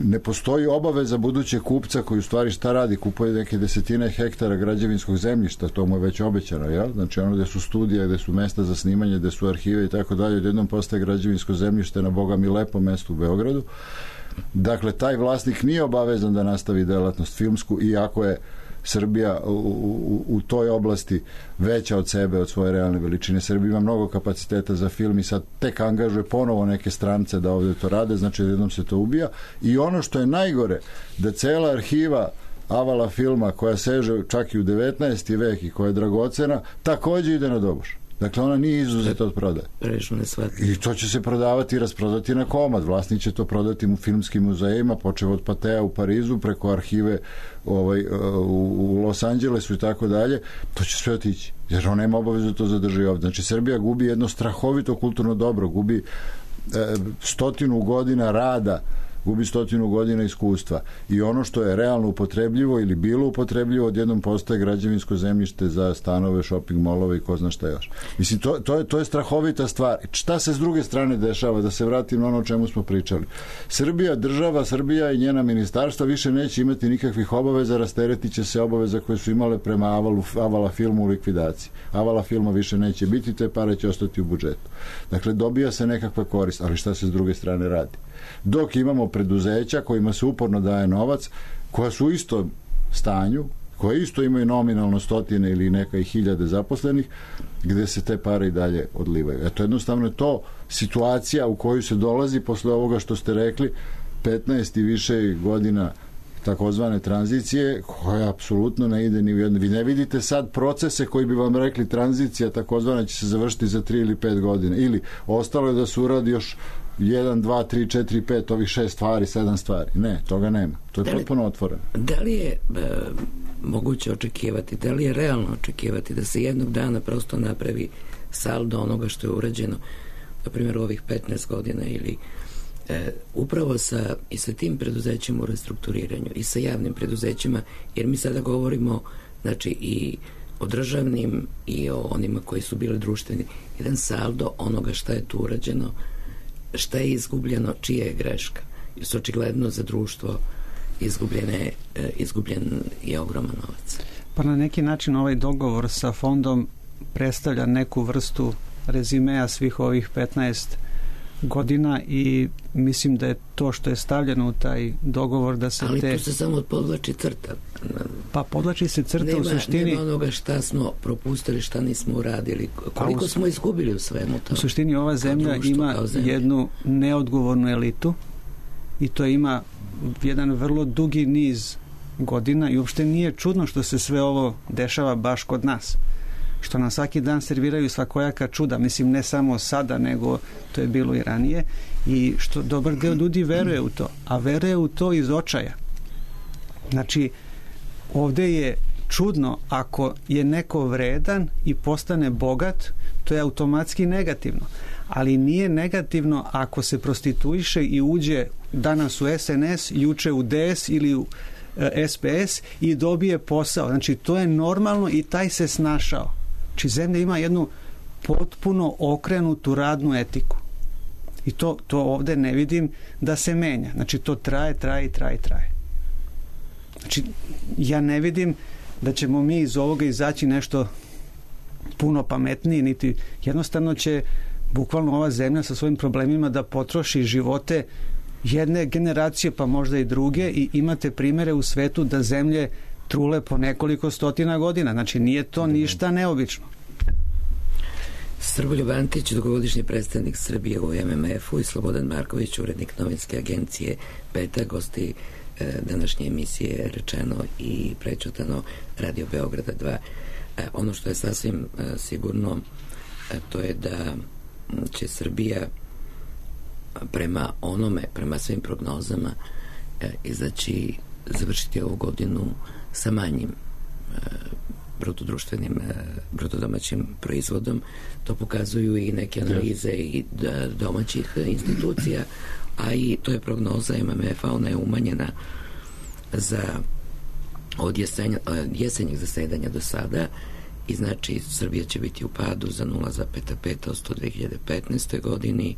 ne postoji obaveza budućeg kupca koji u stvari šta radi, kupuje neke desetine hektara građevinskog zemljišta, to mu je već obećano, jel? Znači ono gde su studije, gde su mesta za snimanje, gde su arhive i tako dalje, odjednom postaje građevinsko zemljište na boga mi lepom mestu u Beogradu. Dakle, taj vlasnik nije obavezan da nastavi delatnost filmsku, iako je Srbija u, u, u toj oblasti veća od sebe, od svoje realne veličine. Srbija ima mnogo kapaciteta za film i sad tek angažuje ponovo neke strance da ovdje to rade, znači jednom se to ubija. I ono što je najgore, da cela arhiva Avala filma, koja seže čak i u devetnaesti vek i koja je dragocena, također ide na doboš. Dakle, ona nije izuzeta od prodaje. I to će se prodavati i rasprodati na komad. Vlasnik će to prodati u filmskim muzejima, počev od Patea u Parizu, preko arhive ovaj, u Los Angelesu i tako dalje. To će sve otići. Jer on nema obavezu da to zadrži ovdje. Znači, Srbija gubi jedno strahovito kulturno dobro, gubi e, stotinu godina rada, gubi stotinu godina iskustva i ono što je realno upotrebljivo ili bilo upotrebljivo odjednom postaje građevinsko zemljište za stanove, shopping molove i ko zna šta još. Mislim, to, to, je, to je strahovita stvar. Šta se s druge strane dešava? Da se vratim na ono o čemu smo pričali. Srbija, država, Srbija i njena ministarstva više neće imati nikakvih obaveza, rasteretit će se obaveza koje su imale prema Avalu, Avala filmu u likvidaciji. Avala filma više neće biti, te pare će ostati u budžetu. Dakle, dobija se nekakva korist, ali šta se s druge strane radi? Dok imamo preduzeća kojima se uporno daje novac, koja su u istom stanju, koje isto imaju nominalno stotine ili neka i hiljade zaposlenih, gde se te pare i dalje odlivaju. Eto, jednostavno je to situacija u koju se dolazi posle ovoga što ste rekli, petnaest i više godina takozvane tranzicije, koja apsolutno ne ide ni u jedno. Vi ne vidite sad procese koji bi vam rekli tranzicija takozvana će se završiti za tri ili pet godina. Ili ostalo je da se uradi još jedan, dva, tri, četiri, pet, ovih šest stvari, sedam stvari. Ne, toga nema. To je da li, potpuno otvoreno.
Da li je e, moguće očekivati, da li je realno očekivati da se jednog dana prosto napravi saldo onoga što je urađeno, na primjer, u ovih petnaest godina ili e, upravo sa, i sa tim preduzećima u restrukturiranju i sa javnim preduzećima, jer mi sada govorimo, znači, i o državnim i o onima koji su bili društveni, jedan saldo onoga šta je tu urađeno, šta je izgubljeno, čija je greška. Jer su očigledno za društvo izgubljene, izgubljen je ogroman novac.
Pa na neki način ovaj dogovor sa fondom predstavlja neku vrstu rezimea svih ovih petnaest godina i mislim da je to što je stavljeno u taj dogovor da se
ali
te...
Ali tu se samo podlači crta.
Pa podlači se crta
nema,
u suštini...
Nema onoga šta smo propustili, šta nismo uradili, koliko u... smo izgubili u svemu to.
U suštini ova zemlja društvo, ima jednu neodgovornu elitu i to ima jedan vrlo dugi niz godina i uopšte nije čudno što se sve ovo dešava baš kod nas. Što nam svaki dan serviraju svakojaka čuda, mislim ne samo sada, nego to je bilo i ranije i što dobar deo ljudi veruje u to, a veruje u to iz očaja. Znači, ovde je čudno ako je neko vredan i postane bogat, to je automatski negativno, ali nije negativno ako se prostituiše i uđe danas u S N S, juče u D S ili u S P S i dobije posao. Znači, to je normalno i taj se snašao. Znači, zemlja ima jednu potpuno okrenutu radnu etiku. I to, to ovde ne vidim da se menja. Znači, to traje, traje, traje, traje. Znači, ja ne vidim da ćemo mi iz ovoga izaći nešto puno pametniji, niti jednostavno će bukvalno ova zemlja sa svojim problemima da potroši živote jedne generacije, pa možda i druge, i imate primere u svetu da zemlje trule po nekoliko stotina godina. Znači, nije to ništa neobično.
Srboljub Antić, dugogodišnji predstavnik Srbije u M M F-u i Slobodan Marković, urednik novinske agencije Peta, gosti e, današnje emisije Rečeno i prećutano Radio Beograda dva. E, ono što je sasvim e, sigurno, e, to je da će Srbija prema onome, prema svim prognozama e, izaći, završiti ovu godinu sa manjim e, brutodruštvenim e, brutodomaćim proizvodom. To pokazuju i neke analize i da, domaćih institucija, a i to je prognoza M M F-a, ona je umanjena za od jesenja, jesenjeg zasedanja do sada i znači Srbija će biti u padu za nula zarez pet posto u dve hiljade petnaestoj godini.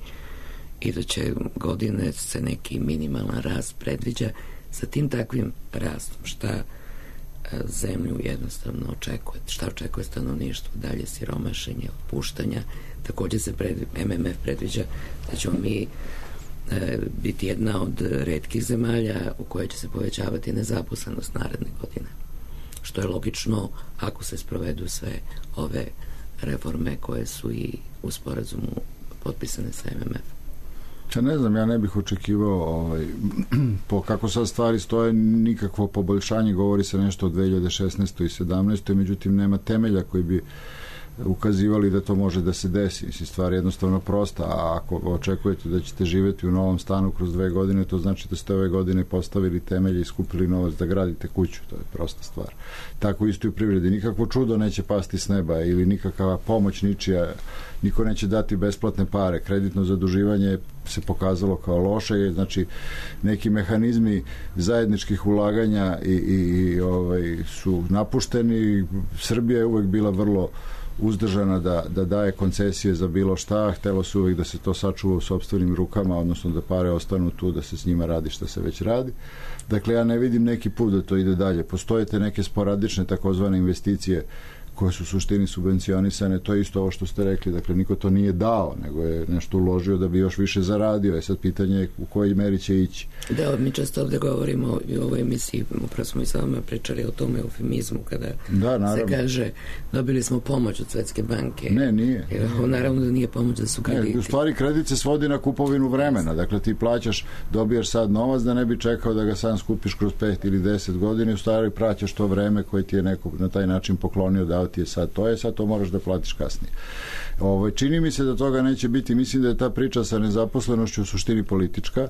Iduće godine se neki minimalan rast predviđa. Sa tim takvim rastom, šta zemlju jednostavno očekuje, šta očekuje stanovništvo, dalje siromašenje, otpuštanja. Također se pred, M M F predviđa da ćemo mi e, biti jedna od retkih zemalja u kojoj će se povećavati nezaposlenost naredne godine. Što je logično ako se sprovedu sve ove reforme koje su i u sporazumu potpisane sa M M F.
Ja ne znam, ja ne bih očekivao ovaj, po kako sad stvari stoje nikakvo poboljšanje, govori se nešto o dve hiljade šesnaestoj i sedamnaestoj, međutim nema temelja koji bi ukazivali da to može da se desi. Mislim, stvar je jednostavno prosta, a ako očekujete da ćete živjeti u novom stanu kroz dve godine, to znači da ste ove godine postavili temelje i skupili novac da gradite kuću. To je prosta stvar. Tako isto i u privredi. Nikakvo čudo neće pasti s neba ili nikakva pomoć ničija, niko neće dati besplatne pare. Kreditno zaduživanje se pokazalo kao loše, znači neki mehanizmi zajedničkih ulaganja i, i, i ovaj, su napušteni. Srbija je uvek bila vrlo uzdržana da, da daje koncesije za bilo šta, htelo se uvijek da se to sačuva u sopstvenim rukama, odnosno da pare ostanu tu, da se s njima radi što se već radi. Dakle, ja ne vidim neki put da to ide dalje. Postoje te neke sporadične takozvane investicije koje su u suštini subvencionisane, to je isto ovo što ste rekli, dakle niko to nije dao, nego je nešto uložio da bi još više zaradio, je sad pitanje u kojoj meri će ići.
Da, mi često ovde govorimo i u ovoj emisiji, upravo smo i sa vama pričali o tome eufemizmu, kada
da,
se kaže dobili smo pomoć od Svetske banke.
Ne, nije.
Jer, naravno da nije pomoć, da su krediti.
Ne, u stvari kredit se svodi na kupovinu vremena, dakle ti plaćaš, dobijaš sad novac da ne bi čekao da ga sam skupiš kroz pet ili deset godina, u stvari praćaš to vreme koje ti je neko na taj način poklonio, dao ti je sad to je, sad to moraš da platiš kasnije. Ovo, čini mi se da toga neće biti, mislim da je ta priča sa nezaposlenošću u suštini politička,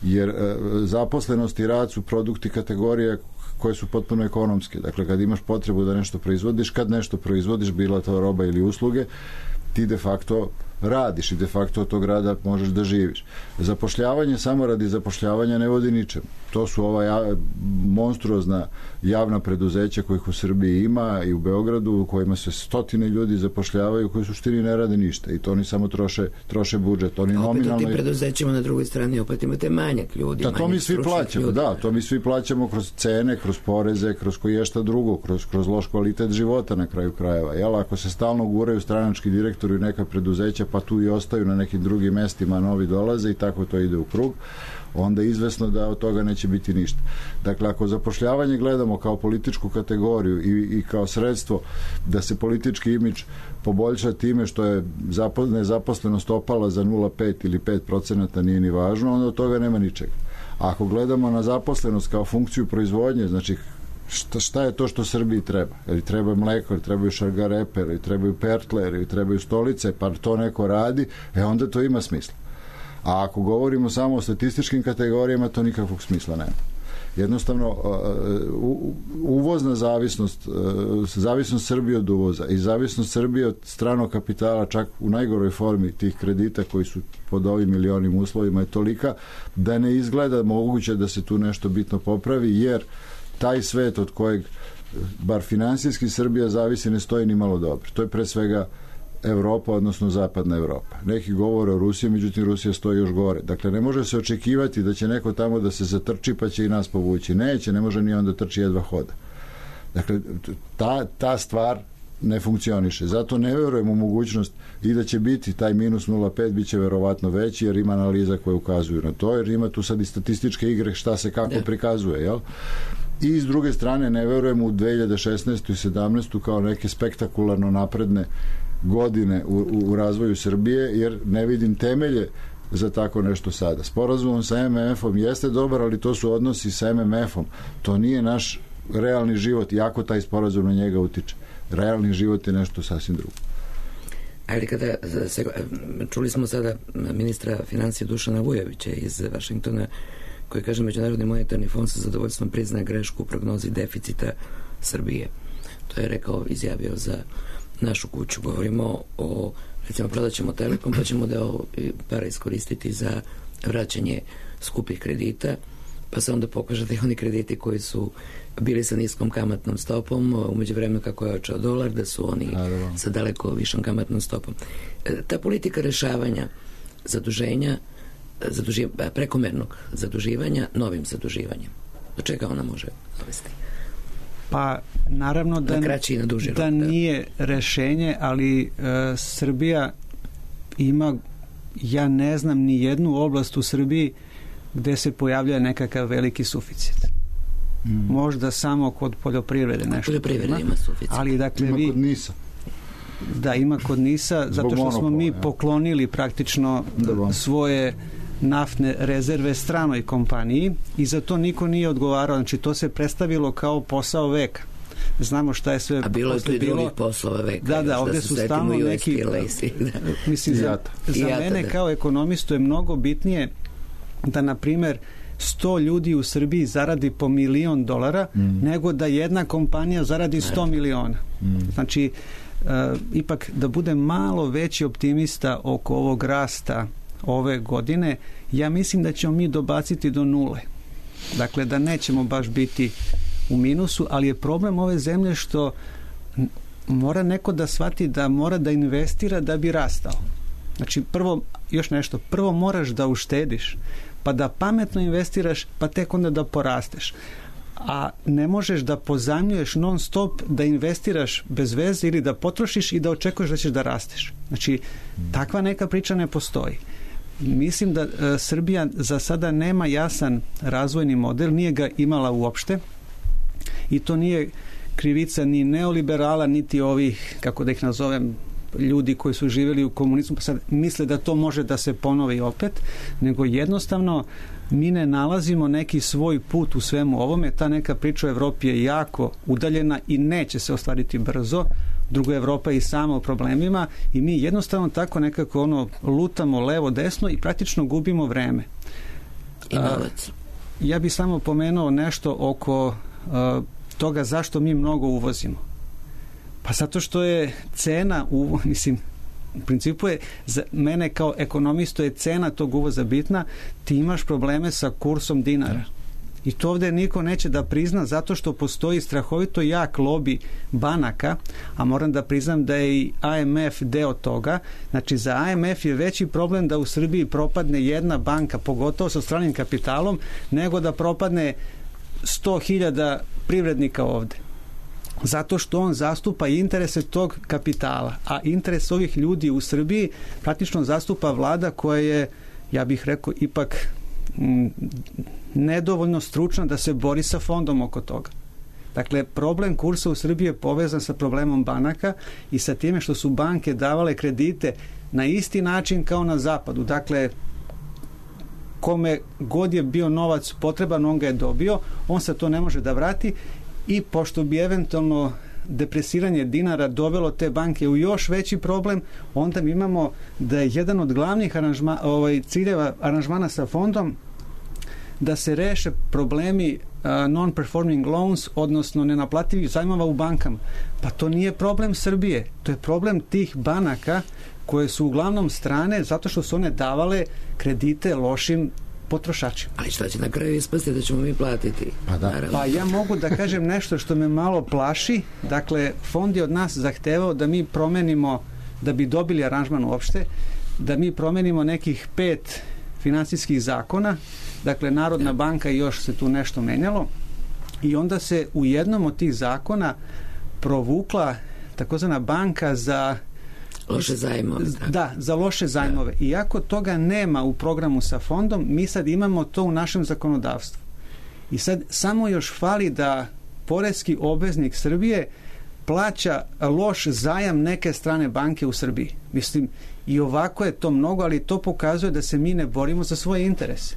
jer e, zaposlenost i rad su produkti kategorije koje su potpuno ekonomske. Dakle, kad imaš potrebu da nešto proizvodiš, kad nešto proizvodiš, bila to roba ili usluge, ti de facto radiš i de facto od tog rada možeš da živiš. Zapošljavanje samo radi zapošljavanja ne vodi ničem. To su ova ja, monstruozna javna preduzeća kojih u Srbiji ima i u Beogradu, u kojima se stotine ljudi zapošljavaju koji u suštini ne rade ništa i to oni samo troše, troše budžet. Oni
opet
nominalno...
u tim preduzećima na drugoj strani opet imate manjak ljudi.
Da, to mi svi plaćamo, ljudi. Da, to mi svi plaćamo kroz cene, kroz poreze, kroz koji je šta drugo, kroz, kroz loš kvalitet života na kraju krajeva. Jel, ako se stalno guraju stranački direktori u neka preduzeća, pa tu i ostaju na nekim drugim mestima, novi dolaze i tako to ide u krug, onda je izvesno da od toga neće biti ništa. Dakle, ako zapošljavanje gledamo kao političku kategoriju i, i kao sredstvo da se politički imidž poboljša time što je nezaposlenost opala za nula zarez pet ili pet procenata, nije ni važno, onda od toga nema ničega. A ako gledamo na zaposlenost kao funkciju proizvodnje, znači šta, šta je to što Srbiji treba? Jer treba mleko, jer trebaju šargarepe, jer trebaju pertle, jer trebaju stolice, pa to neko radi, e onda to ima smisla. A ako govorimo samo o statističkim kategorijama, to nikakvog smisla nema. Jednostavno, uvozna zavisnost, zavisnost Srbije od uvoza i zavisnost Srbije od stranog kapitala, čak u najgoroj formi tih kredita koji su pod ovim milionim uslovima, je tolika da ne izgleda moguće da se tu nešto bitno popravi, jer taj svet od kojeg, bar finansijski, Srbija zavisi ne stoji ni malo dobro. To je pre svega Evropa, odnosno zapadna Evropa. Neki govore o Rusiji, međutim Rusija stoji još gore. Dakle, ne može se očekivati da će neko tamo da se zatrči pa će i nas povući. Neće, ne može ni onda trči, jedva hoda. Dakle, ta, ta stvar ne funkcioniše. Zato ne verujem u mogućnost i da će biti taj minus nula zarez pet, bit će verovatno veći, jer ima analiza koje ukazuju na to, jer ima tu sad i statističke igre šta se kako prikazuje, jel? I s druge strane ne verujem u dve hiljade šesnaestu i sedamnaestu kao neke spektakularno napredne godine u, u razvoju Srbije, jer ne vidim temelje za tako nešto sada. Sporazumom sa em em efom jeste dobar, ali to su odnosi sa em em efom. To nije naš realni život, iako taj sporazum na njega utiče. Realni život je nešto sasvim drugo.
Ali kada se, čuli smo sada ministra financija Dušana Vujovića iz Vašingtona, koji kaže Međunarodni monetarni fond sa zadovoljstvom priznaje grešku u prognozi deficita Srbije. To je rekao, izjavio za našu kuću. Govorimo o, recimo, prodat ćemo Telekom, pa ćemo da para iskoristiti za vraćanje skupih kredita, pa se onda pokaže da i oni krediti koji su bili sa niskom kamatnom stopom, umeđu vremenu kako je očao dolar, da su oni Naravno. sa daleko višom kamatnom stopom. Ta politika rešavanja zaduženja, zaduži, prekomernog zaduživanja novim zaduživanjem, do čega ona može dovesti?
Pa naravno da,
na kraći i na duži
da
rok,
nije rešenje, ali e, Srbija ima, ja ne znam ni jednu oblast u Srbiji gde se pojavlja nekakav veliki suficit. Mm. Možda samo kod poljoprivrede nešto.
Poljoprivrede ima suficit.
Ali dakle
ima
vi...
kod NIS-a.
Da, ima kod NIS-a, zato što smo mi poklonili praktično da, svoje naftne rezerve stranoj kompaniji i za to niko nije odgovarao. Znači, to se predstavilo kao posao veka. znamo šta je sve.
A bilo je tu i drugih poslova veka.
Da, da, ovdje su stalno neki... Mislim, za, za
jata,
mene
da.
kao ekonomistu je mnogo bitnije da, na primjer, sto ljudi u Srbiji zaradi po milion dolara, mm. nego da jedna kompanija zaradi sto miliona. Mm. Znači, uh, ipak da budem malo veći optimista oko ovog rasta ove godine, ja mislim da ćemo mi dobaciti do nule. Dakle, da nećemo baš biti u minusu, ali je problem ove zemlje što mora neko da shvati da mora da investira da bi rastao. Znači, prvo, još nešto, prvo moraš da uštediš, pa da pametno investiraš, pa tek onda da porasteš. A ne možeš da pozajmljuješ non stop, da investiraš bez veze ili da potrošiš i da očekuješ da ćeš da rasteš. Znači, takva neka priča ne postoji. Mislim da e, Srbija za sada nema jasan razvojni model, nije ga imala uopšte i to nije krivica ni neoliberala, niti ovih, kako da ih nazovem, ljudi koji su živjeli u komunizmu pa sad misle da to može da se ponovi opet, nego jednostavno mi ne nalazimo neki svoj put u svemu ovome. Ta neka priča u Evropi je jako udaljena i neće se ostvariti brzo. Drugo, Evropa je i sama u problemima i mi jednostavno tako nekako ono lutamo levo desno i praktično gubimo vreme.
I novac.
Ja bih samo pomenuo nešto oko a, toga zašto mi mnogo uvozimo. Pa zato što je cena, u, mislim, u principu je, za mene kao ekonomistu je cena tog uvoza bitna, ti imaš probleme sa kursom dinara. I to ovdje niko neće da prizna zato što postoji strahovito jak lobi banaka, a moram da priznam da je i I M F deo toga. Znači, za I M F je veći problem da u Srbiji propadne jedna banka, pogotovo sa stranim kapitalom, nego da propadne sto hiljada privrednika ovde. Zato što on zastupa interese tog kapitala, a interes ovih ljudi u Srbiji praktično zastupa vlada koja je, ja bih rekao, ipak m, nedovoljno stručna da se bori sa fondom oko toga. Dakle, problem kursa u Srbiji je povezan sa problemom banaka i sa time što su banke davale kredite na isti način kao na zapadu. Dakle, kome god je bio novac potreban, on ga je dobio, on se to ne može da vrati. I pošto bi eventualno depresiranje dinara dovelo te banke u još veći problem, onda mi imamo da je jedan od glavnih aranžma, ovaj, ciljeva aranžmana sa fondom da se reše problemi uh, non-performing loans, odnosno nenaplativih zajmova u bankama. Pa to nije problem Srbije, to je problem tih banaka koje su uglavnom strane zato što su one davale kredite lošim potrošačima.
Ali šta će na kraju ispasti da ćemo mi platiti?
Pa da.
Pa ja mogu da kažem nešto što me malo plaši. Dakle, fond je od nas zahtevao da mi promenimo, da bi dobili aranžman uopšte, da mi promenimo nekih pet finansijskih zakona. Dakle, Narodna banka i još se tu nešto menjalo. I onda se u jednom od tih zakona provukla takozvana banka za
loše zajmove.
Da, za loše zajmove. Iako toga nema u programu sa fondom, mi sad imamo to u našem zakonodavstvu. I sad samo još fali da poreski obveznik Srbije plaća loš zajam neke strane banke u Srbiji. Mislim, i ovako je to mnogo, ali to pokazuje da se mi ne borimo za svoje interese.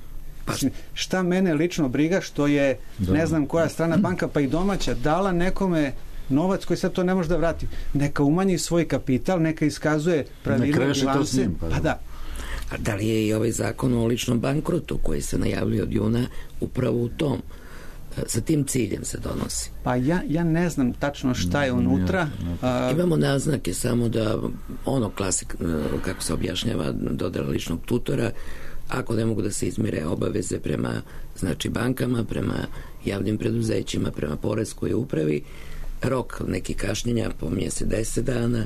Mislim, šta mene lično briga što je, da. ne znam koja strana banka, pa i domaća, dala nekome novac koji sad to ne može da vrati. Neka umanji svoj kapital, neka iskazuje pravilne bilance.
Pa,
pa da.
A da li je i ovaj zakon o ličnom bankrotu koji se najavljuje od juna upravo u tom, sa tim ciljem se donosi?
Pa ja, ja ne znam tačno šta je unutra.
A... Imamo naznake samo da ono klasik, kako se objašnjava dodela ličnog tutora, ako ne mogu da se izmire obaveze prema znači bankama, prema javnim preduzećima, prema poreskoj upravi, rok neki kašnjenja pominje se deset dana.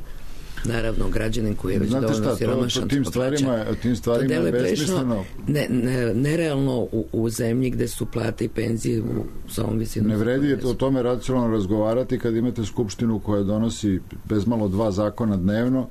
Naravno, građanin koji je već dovoljno siromašan
to tim stvarima, tim stvarima je besmisleno.
Ne, ne, nerealno u, u zemlji gde su plate i penzije u samom visinu.
Ne vredi o tome racionalno razgovarati kad imate skupštinu koja donosi bezmalo dva zakona dnevno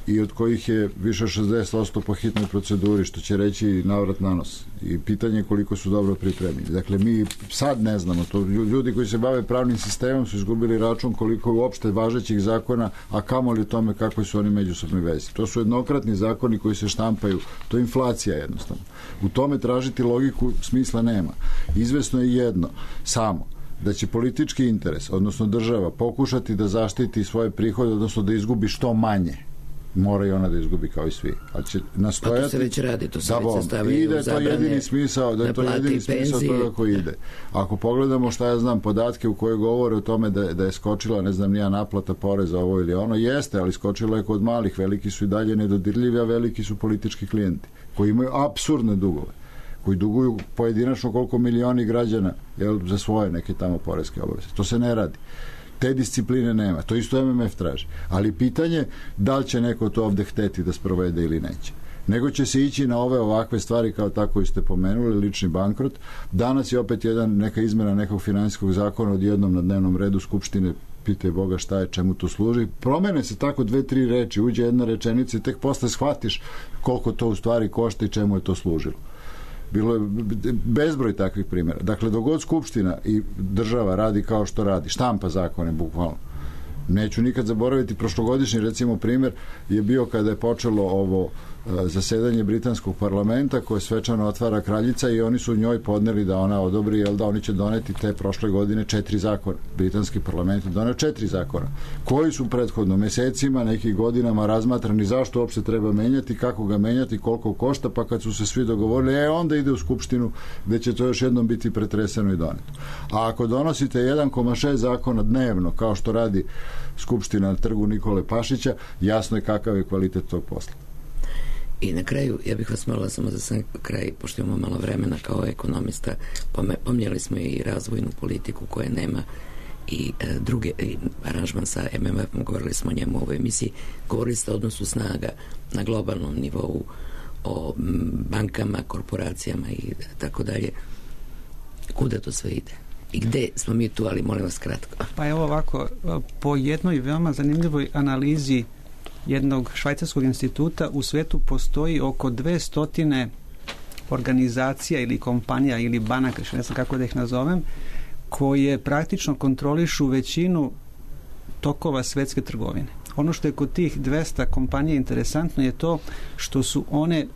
i od kojih je više šezdeset posto po hitnoj proceduri, što će reći navrat na nos. I pitanje je koliko su dobro pripremljeni. Dakle, mi sad ne znamo, to ljudi koji se bave pravnim sistemom su izgubili račun koliko je uopšte važećih zakona, a kamoli o tome kako su oni međusobni vezi. To su jednokratni zakoni koji se štampaju, to je inflacija jednostavno. U tome tražiti logiku smisla nema. Izvesno je jedno, samo da će politički interes, odnosno država, pokušati da zaštiti svoje prihode, odnosno da izgubi što manje, mora i ona da izgubi kao i svi. Ali će nastojati... Pa
to se već radi, to se
da,
već sastavljaju
i da je to jedini smisao, da je to jedini smisao toga koji ide. Ako pogledamo šta ja znam, podatke u koje govore o tome da, da je skočila, ne znam, nija naplata poreza ovo ili ono, jeste, ali skočila je kod malih, veliki su i dalje nedodirljivi, a veliki su politički klijenti, koji imaju apsurdne dugove, koji duguju pojedinačno koliko milioni građana, jel, za svoje neke tamo poreske obaveze. To se ne radi. Te discipline nema. To isto M M F traži. Ali pitanje da li će neko to ovde hteti da sprovede ili neće. Nego će se ići na ove ovakve stvari kao tako i ste pomenuli, lični bankrot. Danas je opet jedan, neka izmena nekog finansijskog zakona odjednom na dnevnom redu Skupštine, pitaj Boga šta je, čemu to služi. Promene se tako dve, tri reči, uđe jedna rečenica i tek posle shvatiš koliko to u stvari košta i čemu je to služilo. Bilo je bezbroj takvih primjera. Dakle, dogod Skupština i država radi kao što radi, štampa zakone, bukvalno. Neću nikad zaboraviti, prošlogodišnji, recimo, primjer je bio kada je počelo ovo zasedanje britanskog parlamenta koje svečano otvara kraljica i oni su njoj podneli da ona odobri, jel da oni će doneti te prošle godine četiri zakona. Britanski parlament je doneo četiri zakona koji su prethodno mesecima, nekih godinama razmatrani zašto uopšte treba menjati, kako ga menjati, koliko košta, pa kad su se svi dogovorili, e onda ide u Skupštinu gde će to još jednom biti pretreseno i doneto. A ako donosite jedan zarez šest zakona dnevno, kao što radi Skupština na trgu Nikole Pašića, jasno je kakav je kvalitet tog posla.
I na kraju, ja bih vas molila samo za sam kraj, pošto imamo malo vremena kao ekonomista, pomnjeli smo i razvojnu politiku koja nema i e, druge i aranžman sa M M F-om, govorili smo o njemu u ovoj emisiji, govorili ste o odnosu snaga na globalnom nivou, o bankama, korporacijama i tako dalje. Kuda to sve ide? I gde smo mi tu, ali molim vas kratko.
Pa evo ovako, po jednoj veoma zanimljivoj analizi jednog švajcarskog instituta u svetu postoji oko dvestotine organizacija ili kompanija ili banaka, ne znam kako da ih nazovem, koje praktično kontrolišu većinu tokova svetske trgovine. Ono što je kod tih dvesta kompanija interesantno je to što su one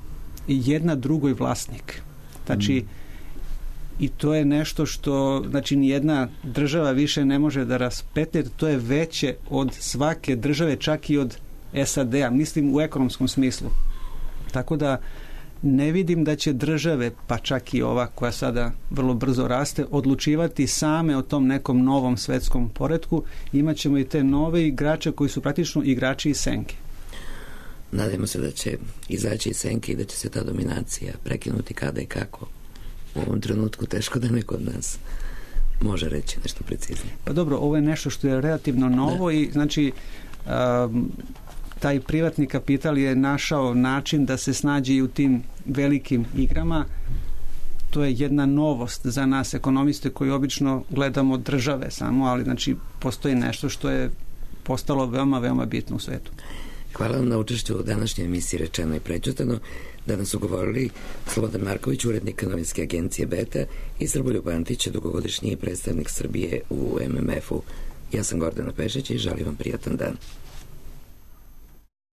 jedna drugoj vlasnik. Znači, mm. i to je nešto što, znači, nijedna država više ne može da raspetlje, to je veće od svake države, čak i od S A D-a, mislim u ekonomskom smislu. Tako da ne vidim da će države, pa čak i ova koja sada vrlo brzo raste, odlučivati same o tom nekom novom svetskom poretku. Imaćemo i te nove igrače koji su praktično igrači iz senke.
Nadajmo se da će izaći iz senke i da će se ta dominacija prekinuti kada i kako. U ovom trenutku teško da neko od nas može reći nešto preciznije.
Pa dobro, ovo je nešto što je relativno novo da. I znači um, taj privatni kapital je našao način da se snađe i u tim velikim igrama. To je jedna novost za nas ekonomiste koji obično gledamo države samo, ali znači postoji nešto što je postalo veoma, veoma bitno u svetu.
Hvala vam na učešću u današnjoj emisiji Rečeno i prećutano. Danas su govorili Slobodan Marković, urednik novinske agencije Beta, i Srboljub Antić, dugogodišnji predstavnik Srbije u M M F-u. Ja sam Gordana Pešić i želim vam prijatan dan.